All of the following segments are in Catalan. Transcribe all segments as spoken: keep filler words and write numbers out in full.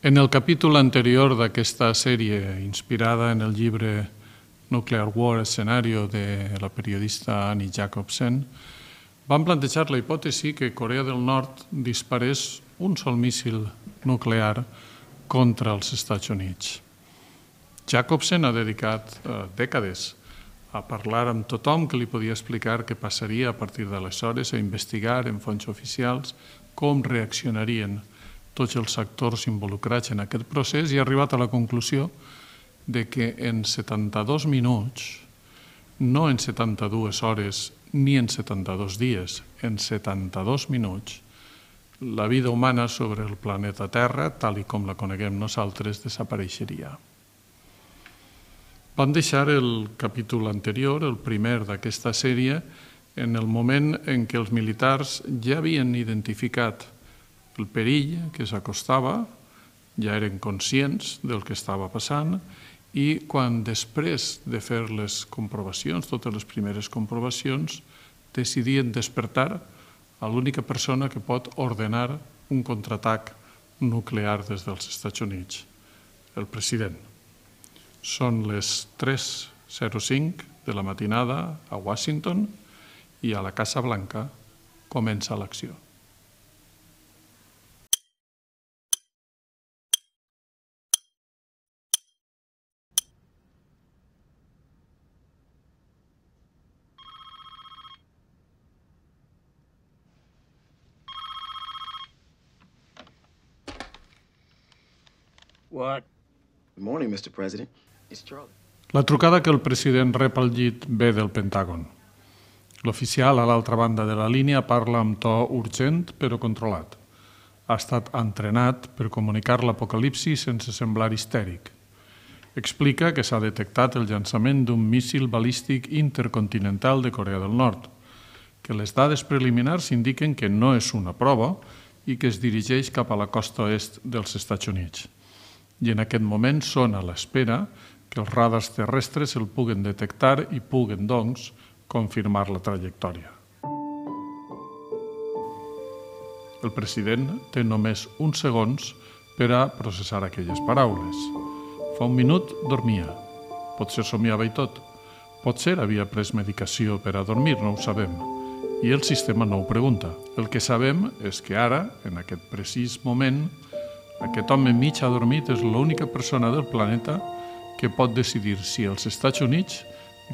En el capítol anterior d'aquesta sèrie, inspirada en el llibre Nuclear War Escenario de la periodista Annie Jacobsen, vam plantejar la hipòtesi que Corea del Nord disparés un sol míssil nuclear contra els Estats Units. Jacobsen ha dedicat eh, dècades a parlar amb tothom que li podia explicar què passaria a partir d'aleshores, a investigar en fonts oficials com reaccionarien tots els actors involucrats en aquest procés i ha arribat a la conclusió de que en setanta-dos minuts, no en setanta-dues hores ni en setanta-dos dies, en setanta-dos minuts, la vida humana sobre el planeta Terra, tal i com la coneguem nosaltres, desapareixeria. Vam deixar el capítol anterior, el primer d'aquesta sèrie, en el moment en què els militars ja havien identificat el perill que s'acostava, ja eren conscients del que estava passant i quan després de fer les comprovacions, totes les primeres comprovacions, decidien despertar a l'única persona que pot ordenar un contraatac nuclear des dels Estats Units, el president. Són les tres zero cinc de la matinada a Washington i a la Casa Blanca comença l'acció. What? Good morning, Mister President. It's Charlie. La trucada que el president rep al llit ve del Pentàgon. L'oficial a l'altra banda de la línia parla amb to urgent però controlat. Ha estat entrenat per comunicar l'apocalipsi sense semblar histèric. Explica que s'ha detectat el llançament d'un míssil balístic intercontinental de Corea del Nord, que les dades preliminars indiquen que no és una prova i que es dirigeix cap a la costa est dels Estats Units. I en aquest moment són a l'espera que els radars terrestres el puguen detectar i puguen, doncs, confirmar la trajectòria. El president té només uns segons per a processar aquelles paraules. Fa un minut dormia. Potser somiava i tot. Potser havia pres medicació per a dormir, no ho sabem. I el sistema no ho pregunta. El que sabem és que ara, en aquest precís moment, aquest home mig adormit és l'única persona del planeta que pot decidir si els Estats Units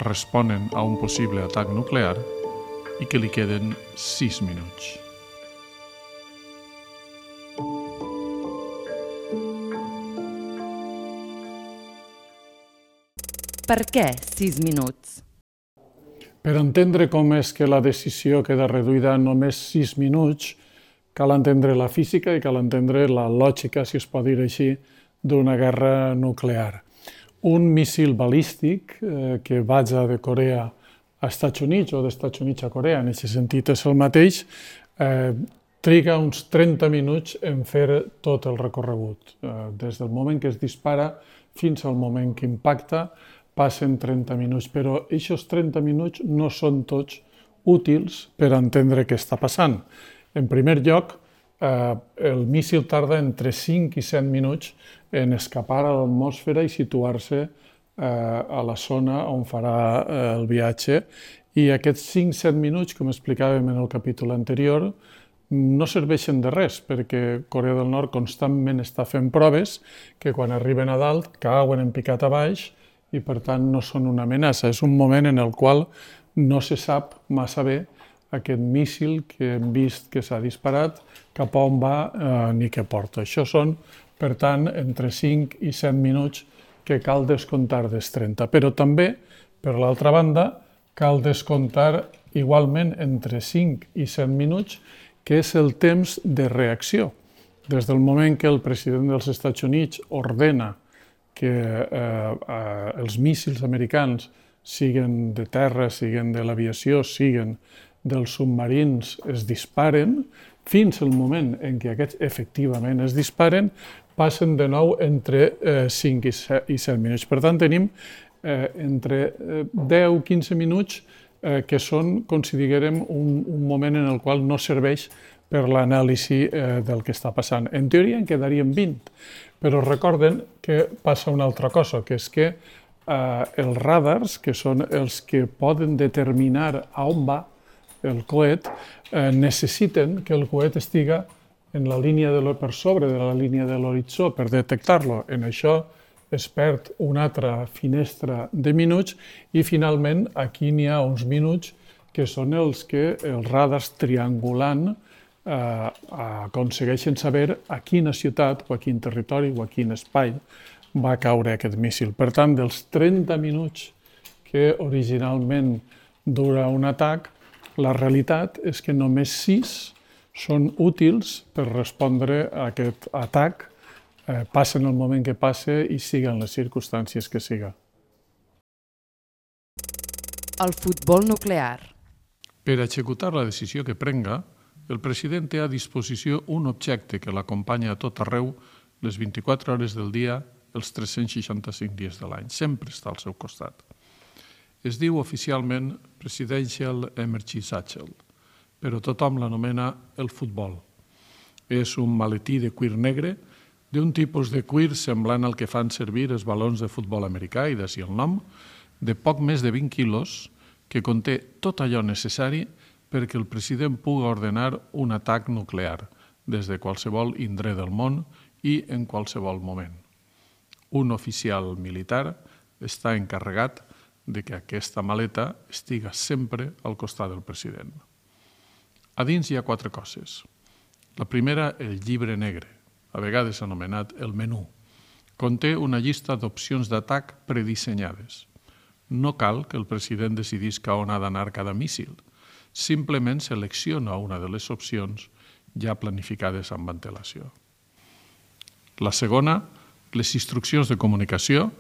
responen a un possible atac nuclear i que li queden sis minuts. Per què sis minuts? Per entendre com és que la decisió queda reduïda a només sis minuts, cal entendre la física i cal entendre la lògica, si es pot dir així, d'una guerra nuclear. Un míssil balístic eh, que vaja de Corea a Estats Units o d'Estats Units a Corea, en aquest sentit és el mateix, eh, triga uns trenta minuts en fer tot el recorregut. Eh, des del moment que es dispara fins al moment que impacta passen trenta minuts, però aquests trenta minuts no són tots útils per entendre què està passant. En primer lloc, eh, el míssil tarda entre cinc i set minuts en escapar a l'atmosfera i situar-se eh, a la zona on farà eh, el viatge. I aquests cinc a set minuts, com explicàvem en el capítol anterior, no serveixen de res, perquè Corea del Nord constantment està fent proves que quan arriben a dalt cauen en picat a baix i per tant no són una amenaça. És un moment en el qual no se sap massa bé aquest míssil que hem vist que s'ha disparat, cap a on va eh, ni què porta. Això són, per tant, entre cinc i set minuts que cal descomptar dels trenta. Però també, per l'altra banda, cal descomptar igualment entre cinc i set minuts, que és el temps de reacció. Des del moment que el president dels Estats Units ordena que eh, eh, els míssils americans, siguen de terra, siguen de l'aviació, siguen dels submarins, es disparen, fins al moment en què aquests efectivament es disparen, passen de nou entre eh, cinc i set minuts. Per tant, tenim eh, entre deu i quinze minuts eh, que són, com si diguérem, un, un moment en el qual no serveix per l'anàlisi del que està passant. En teoria en quedarien vint, però recorden que passa una altra cosa, que és que els radars, que són els que poden determinar a on va el coet, necessiten que el coet estiga en la línia de per sobre de la línia de l'horitzó per detectar-lo. En això es perd una altra finestra de minuts i finalment aquí n'hi ha uns minuts que són els que els radars triangulant aconsegueixen saber a quina ciutat o a quin territori o a quin espai va caure aquest míssil. Per tant, dels trenta minuts que originalment dura un atac, la realitat és que només sis són útils per respondre a aquest atac, passa en el moment que passa i siga en les circumstàncies que siga. El futbol nuclear. Per executar la decisió que prenga, el president té a disposició un objecte que l'acompanya a tot arreu les vint-i-quatre hores del dia, els tres-cents seixanta-cinc dies de l'any. Sempre està al seu costat. Es diu oficialment Presidential Emergency Satchel, però tothom l'anomena el futbol. És un maletí de cuir negre, d'un tipus de cuir semblant al que fan servir els balons de futbol americà, i d'ací el nom, de poc més de vint quilos, que conté tot allò necessari perquè el president pugui ordenar un atac nuclear des de qualsevol indret del món i en qualsevol moment. Un oficial militar està encarregat de que aquesta maleta estiga sempre al costat del president. A dins hi ha quatre coses. La primera, el llibre negre, a vegades anomenat el menú. Conté una llista d'opcions d'atac predissenyades. No cal que el president decidisca on ha d'anar cada míssil. Simplement selecciona una de les opcions ja planificades amb antelació. La segona, les instruccions de comunicació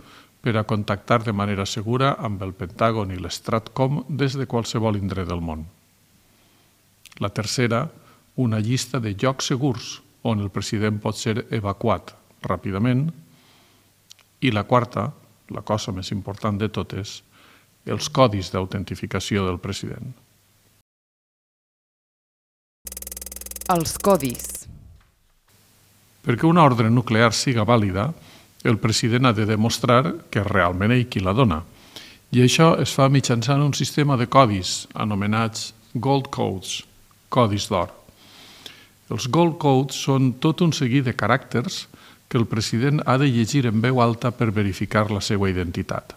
per a contactar de manera segura amb el Pentàgon i l'Stratcom des de qualsevol indret del món. La tercera, una llista de llocs segurs on el president pot ser evacuat ràpidament. I la quarta, la cosa més important de totes, els codis d'autentificació del president. Els codis. Perquè una ordre nuclear siga vàlida, el president ha de demostrar que és realment ell qui la dona. I això es fa mitjançant un sistema de codis anomenats Gold Codes, codis d'or. Els Gold Codes són tot un seguit de caràcters que el president ha de llegir en veu alta per verificar la seva identitat.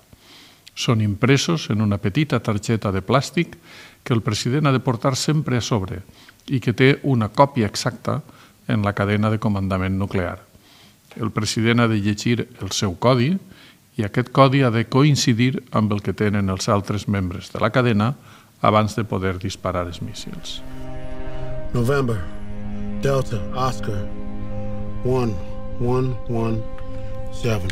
Són impresos en una petita targeta de plàstic que el president ha de portar sempre a sobre i que té una còpia exacta en la cadena de comandament nuclear. El president ha de llegir el seu codi i aquest codi ha de coincidir amb el que tenen els altres membres de la cadena abans de poder disparar els míssils. November, Delta, Oscar, one, one, one, seven.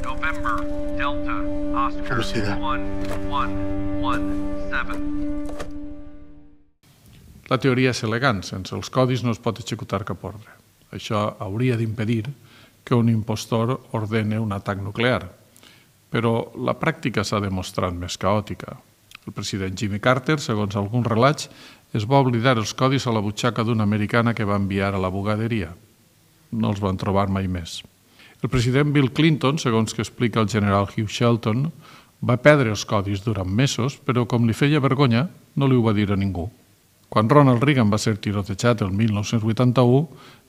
November, Delta, Oscar, one, one, one, seven. La teoria és elegant, sense els codis no es pot executar cap ordre. Això hauria d'impedir que un impostor ordene un atac nuclear, però la pràctica s'ha demostrat més caòtica. El president Jimmy Carter, segons alguns relats, es va oblidar els codis a la butxaca d'una americana que va enviar a la bugaderia. No els van trobar mai més. El president Bill Clinton, segons que explica el general Hugh Shelton, va perdre els codis durant mesos, però com li feia vergonya, no li ho va dir a ningú. Quan Ronald Reagan va ser tirotejat el mil nou-cents vuitanta-u,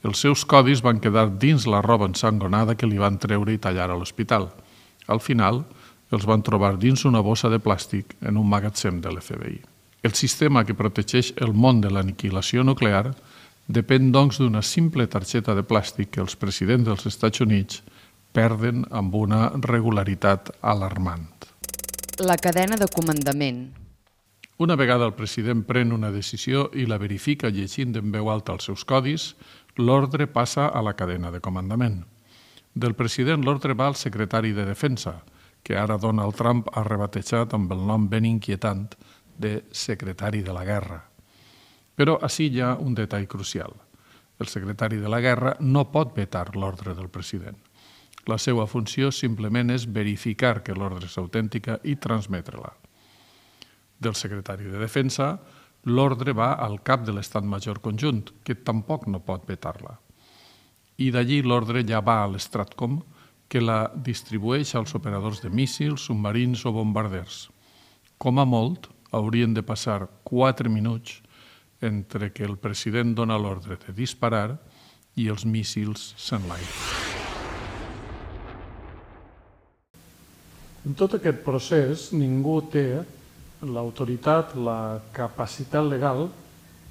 els seus codis van quedar dins la roba ensangonada que li van treure i tallar a l'hospital. Al final, els van trobar dins una bossa de plàstic en un magatzem de l'F B I. El sistema que protegeix el món de l'aniquilació nuclear depèn, doncs, d'una simple targeta de plàstic que els presidents dels Estats Units perden amb una regularitat alarmant. La cadena de comandament. Una vegada el president pren una decisió i la verifica llegint en veu alta els seus codis, l'ordre passa a la cadena de comandament. Del president l'ordre va al secretari de Defensa, que ara Donald Trump ha rebatejat amb el nom ben inquietant de secretari de la guerra. Però ací hi ha un detall crucial. El secretari de la guerra no pot vetar l'ordre del president. La seva funció simplement és verificar que l'ordre és autèntica i transmetre-la. Del secretari de Defensa l'ordre va al cap de l'Estat Major Conjunt, que tampoc no pot vetar-la. I d'allí l'ordre ja va a l'Stratcom, que la distribueix als operadors de míssils, submarins o bombarders. Com a molt, haurien de passar quatre minuts entre que el president dona l'ordre de disparar i els míssils s'enlairen. En tot aquest procés, ningú té l'autoritat, la capacitat legal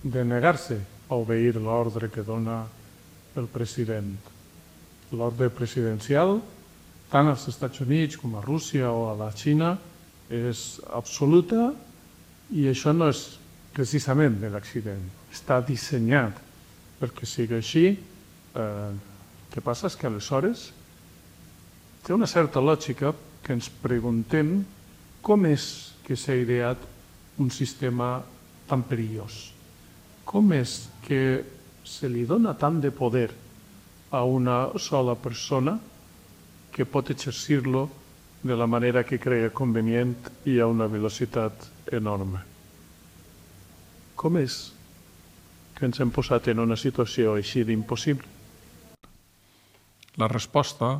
de negar-se a obeir l'ordre que dona el president. L'ordre presidencial, tant als Estats Units com a Rússia o a la Xina, és absoluta i això no és precisament de l'accident. Està dissenyat perquè sigui així. El que passa és que aleshores té una certa lògica que ens preguntem com és que s'ha ideat un sistema tan perillós. Com és que se li dona tant de poder a una sola persona que pot exercir-lo de la manera que crea convenient i a una velocitat enorme? Com és que ens hem posat en una situació així d'impossible? La resposta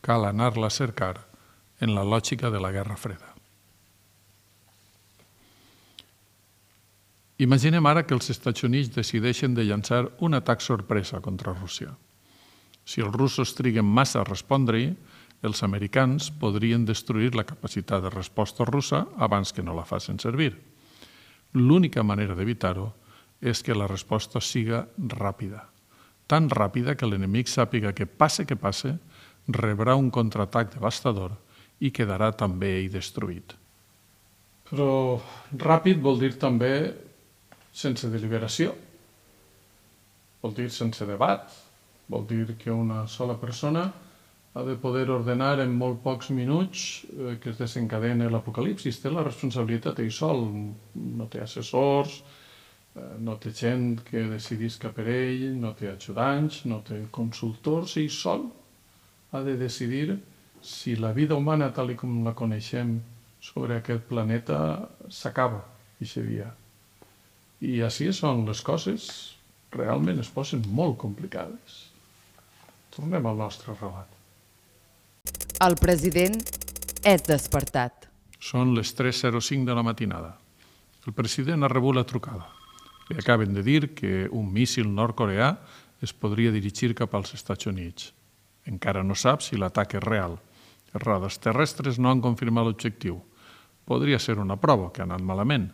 cal anar-la a cercar en la lògica de la Guerra Freda. Imaginem ara que els Estats Units decideixen de llançar un atac sorpresa contra Rússia. Si els russos triguen massa a respondre-hi, els americans podrien destruir la capacitat de resposta russa abans que no la facin servir. L'única manera d'evitar-ho és que la resposta siga ràpida. Tan ràpida que l'enemic sàpiga que passe que passe, rebrà un contraatac devastador i quedarà també ell destruït. Però ràpid vol dir també sense deliberació, vol dir sense debat, vol dir que una sola persona ha de poder ordenar en molt pocs minuts que es desencadeni l'apocalipsis. Té la responsabilitat ell sol, no té assessors, no té gent que decidisca per ell, no té ajudants, no té consultors, ell sol ha de decidir si la vida humana tal com la coneixem sobre aquest planeta s'acaba aquest dia. I així són les coses, realment es posen molt complicades. Tornem al nostre relat. El president és despertat. Són les tres zero cinc de la matinada. El president ha rebut la trucada. Li acaben de dir que un míssil nord-coreà es podria dirigir cap als Estats Units. Encara no sap si l'atac és real. Els radars terrestres no han confirmat l'objectiu. Podria ser una prova que ha anat malament.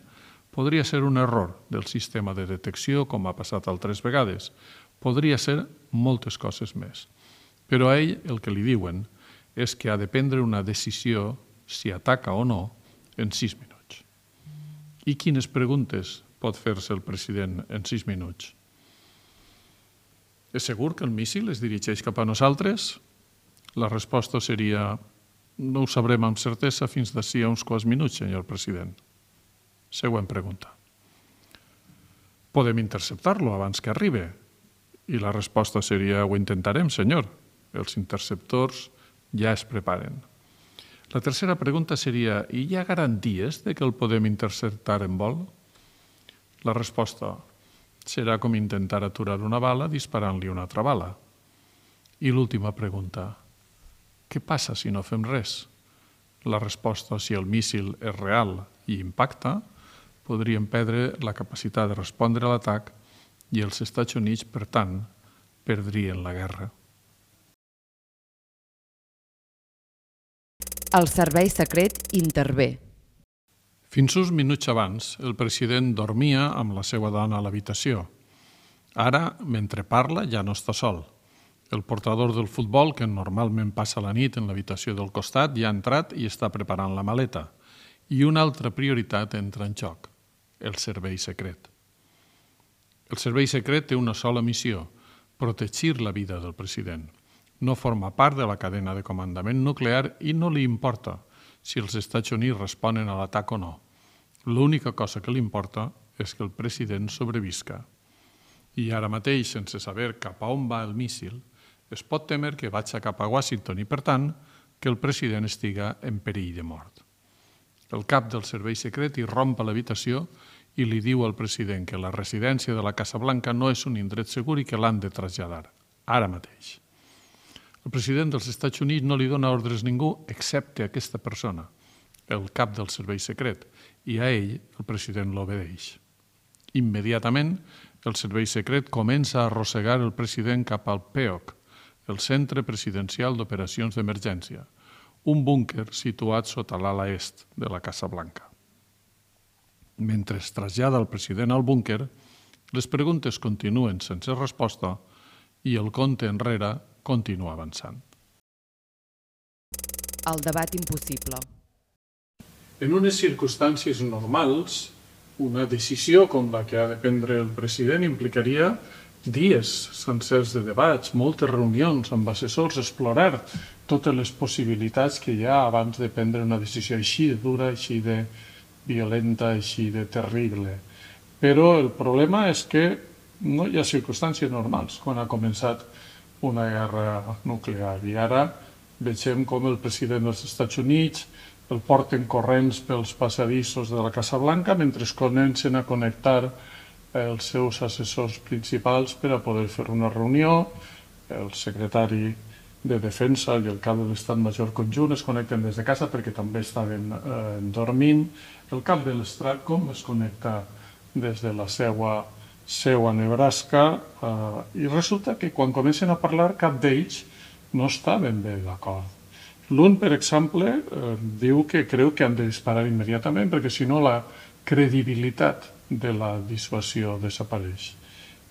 Podria ser un error del sistema de detecció, com ha passat altres vegades. Podria ser moltes coses més. Però a ell el que li diuen és que ha de prendre una decisió si ataca o no en sis minuts. I quines preguntes pot fer-se el president en sis minuts? És segur que el míssil es dirigeix cap a nosaltres? La resposta seria: no ho sabrem amb certesa fins d'ací a uns quants minuts, senyor president. Següent pregunta. Podem interceptar-lo abans que arribi? I la resposta seria: ho intentarem, senyor. Els interceptors ja es preparen. La tercera pregunta seria: i hi ha garanties de que el podem interceptar en vol? La resposta serà com intentar aturar una bala disparant-li una altra bala. I l'última pregunta: què passa si no fem res? La resposta, si el míssil és real i impacta, podríem perdre la capacitat de respondre a l'atac i els Estats Units, per tant, perdrien la guerra. El servei secret intervé. Fins uns minuts abans, el president dormia amb la seva dona a l'habitació. Ara, mentre parla, ja no està sol. El portador del futbol, que normalment passa la nit en l'habitació del costat, ja ha entrat i està preparant la maleta. I una altra prioritat entra en joc: el servei secret. El servei secret té una sola missió: protegir la vida del president. No forma part de la cadena de comandament nuclear i no li importa si els Estats Units responen a l'atac o no. L'única cosa que li importa és que el president sobrevisca. I ara mateix, sense saber cap a on va el míssil, es pot temer que vagi cap a Washington i, per tant, que el president estiga en perill de mort. El cap del servei secret irromp a l'habitació i li diu al president que la residència de la Casa Blanca no és un indret segur i que l'han de traslladar, ara mateix. El president dels Estats Units no li dona ordres a ningú excepte a aquesta persona, el cap del servei secret, i a ell el president l'obedeix. Immediatament, el servei secret comença a arrossegar el president cap al P E O C, el Centre Presidencial d'Operacions d'Emergència, un búnquer situat sota l'ala est de la Casa Blanca. Mentre es trasllada el president al búnquer, les preguntes continuen sense resposta i el compte enrere continua avançant. El debat impossible. En unes circumstàncies normals, una decisió com la que ha de prendre el president implicaria dies sencers de debats, moltes reunions amb assessors, explorar totes les possibilitats que hi ha abans de prendre una decisió així de dura, així de violenta, així de terrible. Però el problema és que no hi ha circumstàncies normals quan ha començat una guerra nuclear. I ara veiem com el president dels Estats Units el porten corrents pels passadissos de la Casa Blanca mentre es comencen a connectar els seus assessors principals per a poder fer una reunió. El secretari de Defensa i el cap de l'Estat Major conjunt es connecten des de casa perquè també estaven eh, dormint. El cap de l'Stratcom es connecta des de la seva seu a Nebraska eh, i resulta que quan comencen a parlar cap d'ells no està ben bé d'acord. L'un, per exemple, eh, diu que creu que han de disparar immediatament perquè si no la credibilitat de la dissuasió desapareix.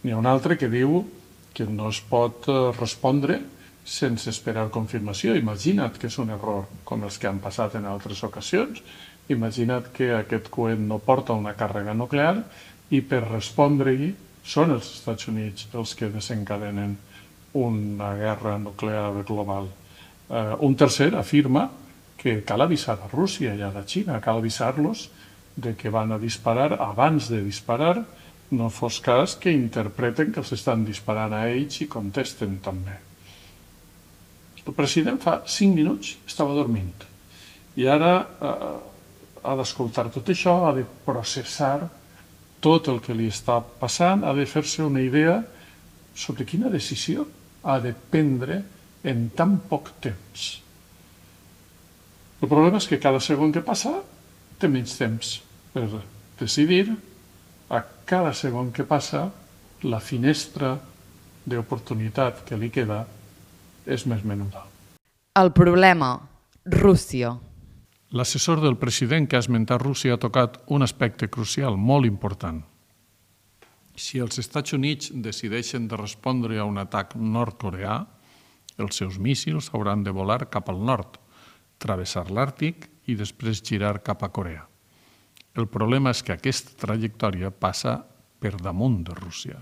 N'hi ha un altre que diu que no es pot respondre sense esperar confirmació. Imagina't que és un error com els que han passat en altres ocasions. Imagina't que aquest coet no porta una càrrega nuclear i per respondre-hi són els Estats Units els que desencadenen una guerra nuclear global. Uh, un tercer afirma que cal avisar a Rússia i a la Xina, cal avisar-los de que van a disparar abans de disparar, no fos cas que interpreten que els estan disparant a ells i contesten també. El president fa cinc minuts estava dormint i ara eh, ha d'escoltar tot això, ha de processar tot el que li està passant, ha de fer-se una idea sobre quina decisió ha de prendre en tan poc temps. El problema és que cada segon que passa té menys temps per decidir. A cada segon que passa, la finestra d'oportunitat que li queda és més menuda. El problema, Rússia. L'assessor del president que ha esmentat Rússia ha tocat un aspecte crucial, molt important. Si els Estats Units decideixen de respondre a un atac nord-coreà, els seus míssils hauran de volar cap al nord, travessar l'Àrtic i després girar cap a Corea. El problema és que aquesta trajectòria passa per damunt de Rússia.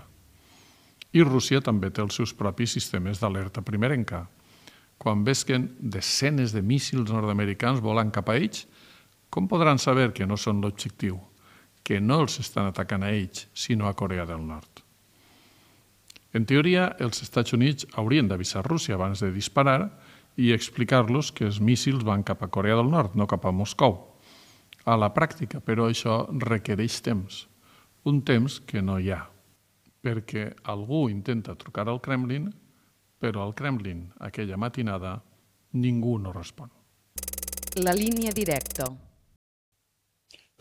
I Rússia també té els seus propis sistemes d'alerta primerenca. Quan vesquen desenes de míssils nord-americans volant cap a ells, com podran saber que no són l'objectiu, que no els estan atacant a ells, sinó a Corea del Nord? En teoria, els Estats Units haurien d'avisar Rússia abans de disparar i explicar-los que els míssils van cap a Corea del Nord, no cap a Moscou. A la pràctica, però, això requereix temps. Un temps que no hi ha, perquè algú intenta trucar al Kremlin, però al Kremlin, aquella matinada, ningú no respon. La línia directa.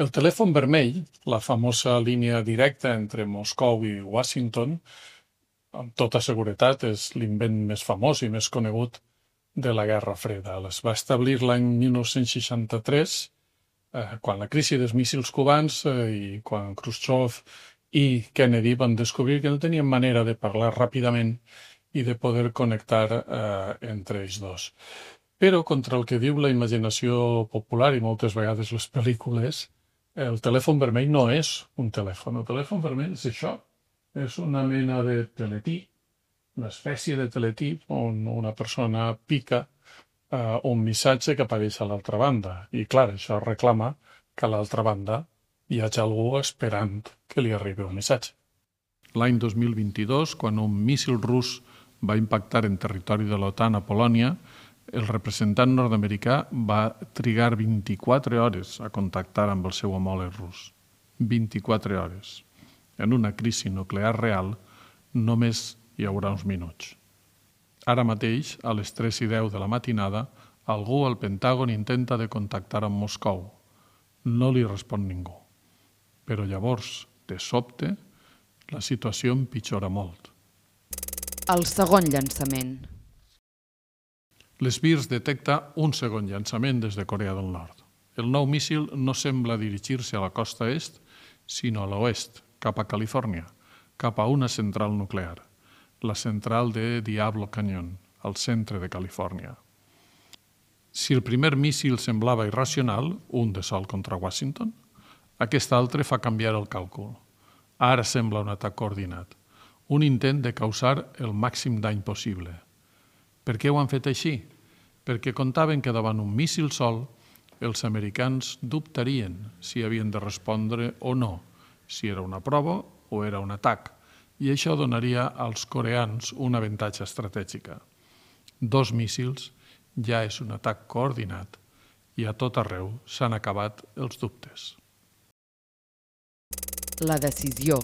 El telèfon vermell, la famosa línia directa entre Moscou i Washington, amb tota seguretat és l'invent més famós i més conegut de la Guerra Freda. Es va establir l'any mil nou-cents seixanta-tres, eh, quan la crisi dels míssils cubans eh, i quan Khrushchev i Kennedy van descobrir que no tenien manera de parlar ràpidament i de poder connectar eh, entre ells dos. Però, contra el que diu la imaginació popular i moltes vegades les pel·lícules, el telèfon vermell no és un telèfon. El telèfon vermell és això. És una mena de teletí, una espècie de teletí on una persona pica uh, un missatge que apareix a l'altra banda. I, clar, això reclama que a l'altra banda hi hagi algú esperant que li arribi un missatge. L'any dos mil vint-i-dos, quan un míssil rus va impactar en territori de l'OTAN a Polònia, el representant nord-americà va trigar vint-i-quatre hores a contactar amb el seu homòleg rus. vint-i-quatre hores. En una crisi nuclear real només hi haurà uns minuts. Ara mateix, a les tres i deu de la matinada, algú al Pentàgon intenta de contactar amb Moscou. No li respon ningú. Però llavors, de sobte, la situació empitjora molt. El segon llançament. L'Sbirsk detecta un segon llançament des de Corea del Nord. El nou míssil no sembla dirigir-se a la costa est, sinó a l'oest, cap a Califòrnia, cap a una central nuclear, la central de Diablo Canyon, al centre de Califòrnia. Si el primer míssil semblava irracional, un de sol contra Washington, aquest altre fa canviar el càlcul. Ara sembla un atac coordinat, un intent de causar el màxim dany possible. Per què ho han fet així? Perquè comptaven que davant un míssil sol els americans dubtarien si havien de respondre o no, si era una prova o era un atac, i això donaria als coreans una avantatge estratègica. Dos míssils ja és un atac coordinat i a tot arreu s'han acabat els dubtes. La decisió.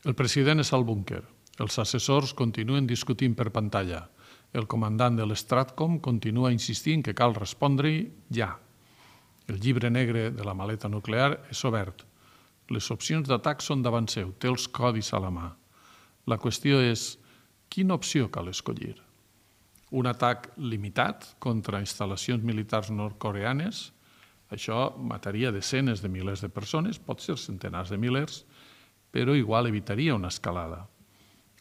El president és al búnquer. Els assessors continuen discutint per pantalla. El comandant de l'Stratcom continua insistint que cal respondre-hi ja. El llibre negre de la maleta nuclear és obert. Les opcions d'atac són davant seu, té els codis a la mà. La qüestió és, quina opció cal escollir? Un atac limitat contra instal·lacions militars nord-coreanes? Això mataria desenes de milers de persones, pot ser centenars de milers, però igual evitaria una escalada.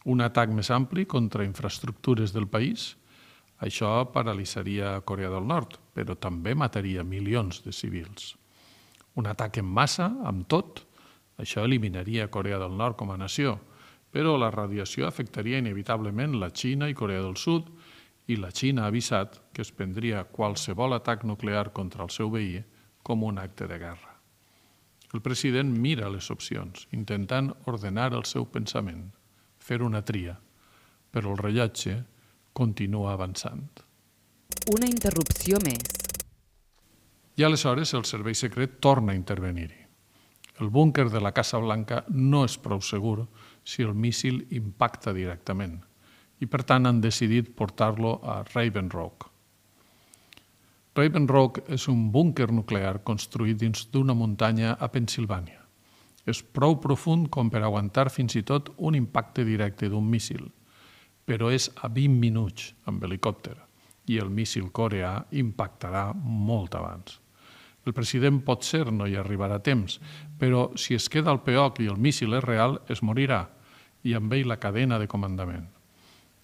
Un atac més ampli contra infraestructures del país? Això paralitzaria Corea del Nord, però també mataria milions de civils. Un atac en massa, amb tot? Això eliminaria Corea del Nord com a nació, però la radiació afectaria inevitablement la Xina i Corea del Sud, i la Xina ha avisat que es prendria qualsevol atac nuclear contra el seu veí com un acte de guerra. El president mira les opcions, intentant ordenar el seu pensament, fer una tria, però el rellotge continua avançant. Una interrupció més. I aleshores el servei secret torna a intervenir-hi. El búnquer de la Casa Blanca no és prou segur si el míssil impacta directament i per tant han decidit portar-lo a Raven Rock. Raven Rock és un búnquer nuclear construït dins d'una muntanya a Pennsilvània. És prou profund com per aguantar fins i tot un impacte directe d'un míssil, però és a vint minuts amb helicòpter i el míssil coreà impactarà molt abans. El president potser no hi arribarà a temps, però si es queda al P O C i el míssil és real, es morirà, i amb ell la cadena de comandament.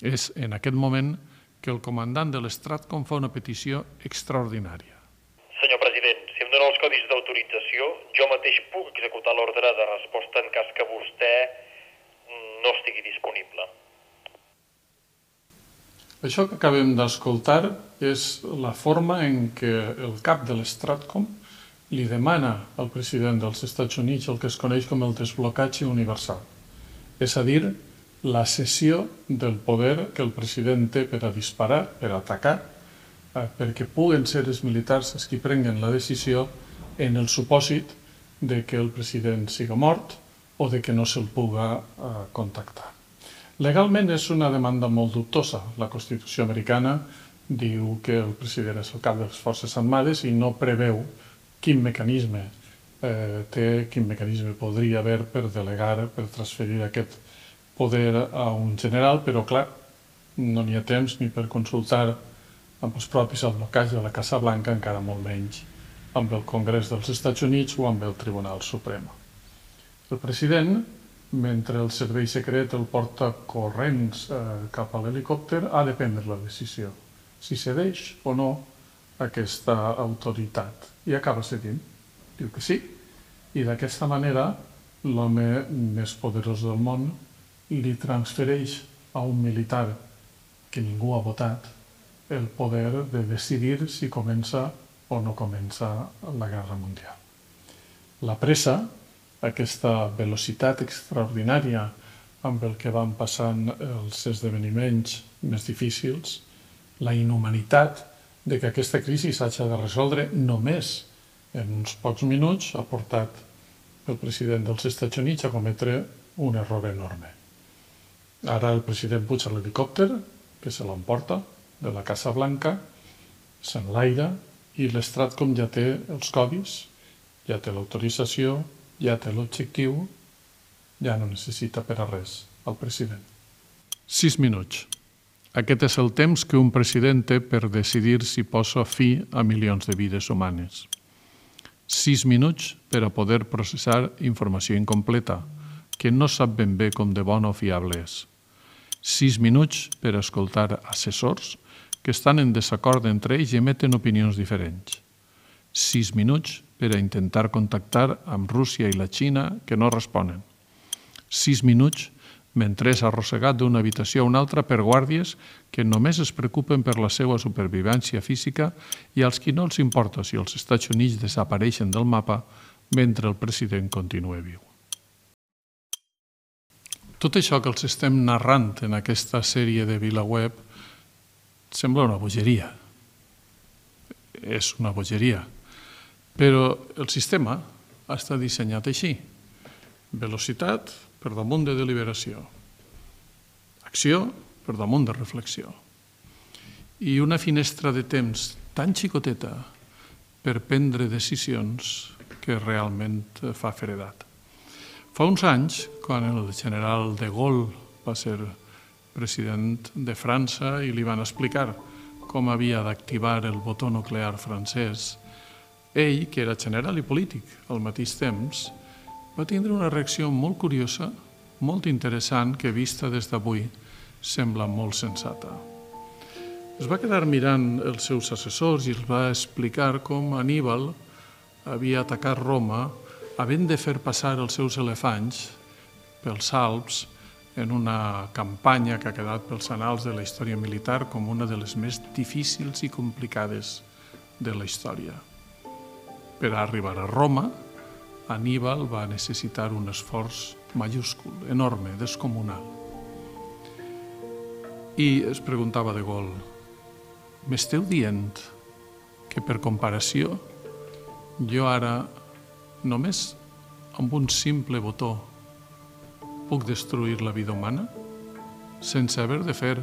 És en aquest moment que el comandant de l'Stratcom fa una petició extraordinària. Senyor president, si em dóna els codis d'autorització, jo mateix puc executar l'ordre de resposta en cas que vostè no estigui disponible. Això que acabem d'escoltar és la forma en què el cap de l'Stratcom li demana al president dels Estats Units el que es coneix com el desblocatge universal. És a dir, la cessió del poder que el president té per a disparar, per a atacar, perquè puguen ser els militars els qui prenguen la decisió en el supòsit de que el president siga mort o de que no se'l puga contactar. Legalment és una demanda molt dubtosa. La Constitució americana diu que el president és el cap de les Forces Armades i no preveu quin mecanisme eh, té, quin mecanisme podria haver per delegar, per transferir aquest poder a un general, però clar, no n'hi ha temps ni per consultar amb els propis advocats de la Casa Blanca, encara molt menys amb el Congrés dels Estats Units o amb el Tribunal Suprem. El president, mentre el servei secret el porta corrents eh, cap a l'helicòpter, ha de prendre la decisió, si cedeix o no aquesta autoritat. I acaba cedint, diu que sí, i d'aquesta manera l'home més poderós del món li transfereix a un militar que ningú ha votat el poder de decidir si comença o no comença la Guerra Mundial. La pressa, aquesta velocitat extraordinària amb el que van passant els esdeveniments més difícils, la inhumanitat de que aquesta crisi s'hagi de resoldre només En uns pocs minuts ha portat el president dels Estats Units a cometre un error enorme. Ara el president puja a l'helicòpter, que se l'emporta, de la Casa Blanca, s'enlaira i l'Stratcom ja té els codis, ja té l'autorització, ja té l'objectiu, ja no necessita per a res el president. Sis minuts. Aquest és el temps que un president té per decidir si posa fi a milions de vides humanes. Sis minuts per a poder processar informació incompleta, que no sap ben bé com de bona o fiable és. Sis minuts per a escoltar assessors que estan en desacord entre ells i emeten opinions diferents. Sis minuts per a intentar contactar amb Rússia i la Xina que no responen. Sis minuts mentre és arrossegat d'una habitació a una altra per guàrdies que només es preocupen per la seva supervivència física i als qui no els importa si els Estats Units desapareixen del mapa mentre el president continua viu. Tot això que els estem narrant en aquesta sèrie de VilaWeb sembla una bogeria. És una bogeria. Però el sistema està dissenyat així. Velocitat per damunt de deliberació. Acció per damunt de reflexió. I una finestra de temps tan xicoteta per prendre decisions que realment fa feredat. Fa uns anys, quan el general de Gaulle va ser president de França i li van explicar com havia d'activar el botó nuclear francès, ell, que era general i polític al mateix temps, va tindre una reacció molt curiosa, molt interessant, que vista des d'avui sembla molt sensata. Es va quedar mirant els seus assessors i els va explicar com Aníbal havia atacat Roma havent de fer passar els seus elefants pels Alps en una campanya que ha quedat pels annals de la història militar com una de les més difícils i complicades de la història. Per arribar a Roma, Aníbal va necessitar un esforç majúscul, enorme, descomunal. I es preguntava de Gaulle, m'esteu dient que per comparació jo ara només amb un simple botó puc destruir la vida humana sense haver de fer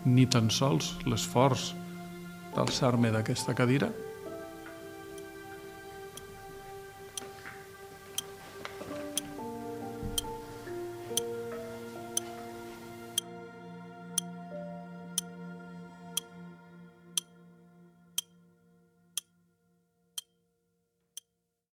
ni tan sols l'esforç d'alçar-me d'aquesta cadira?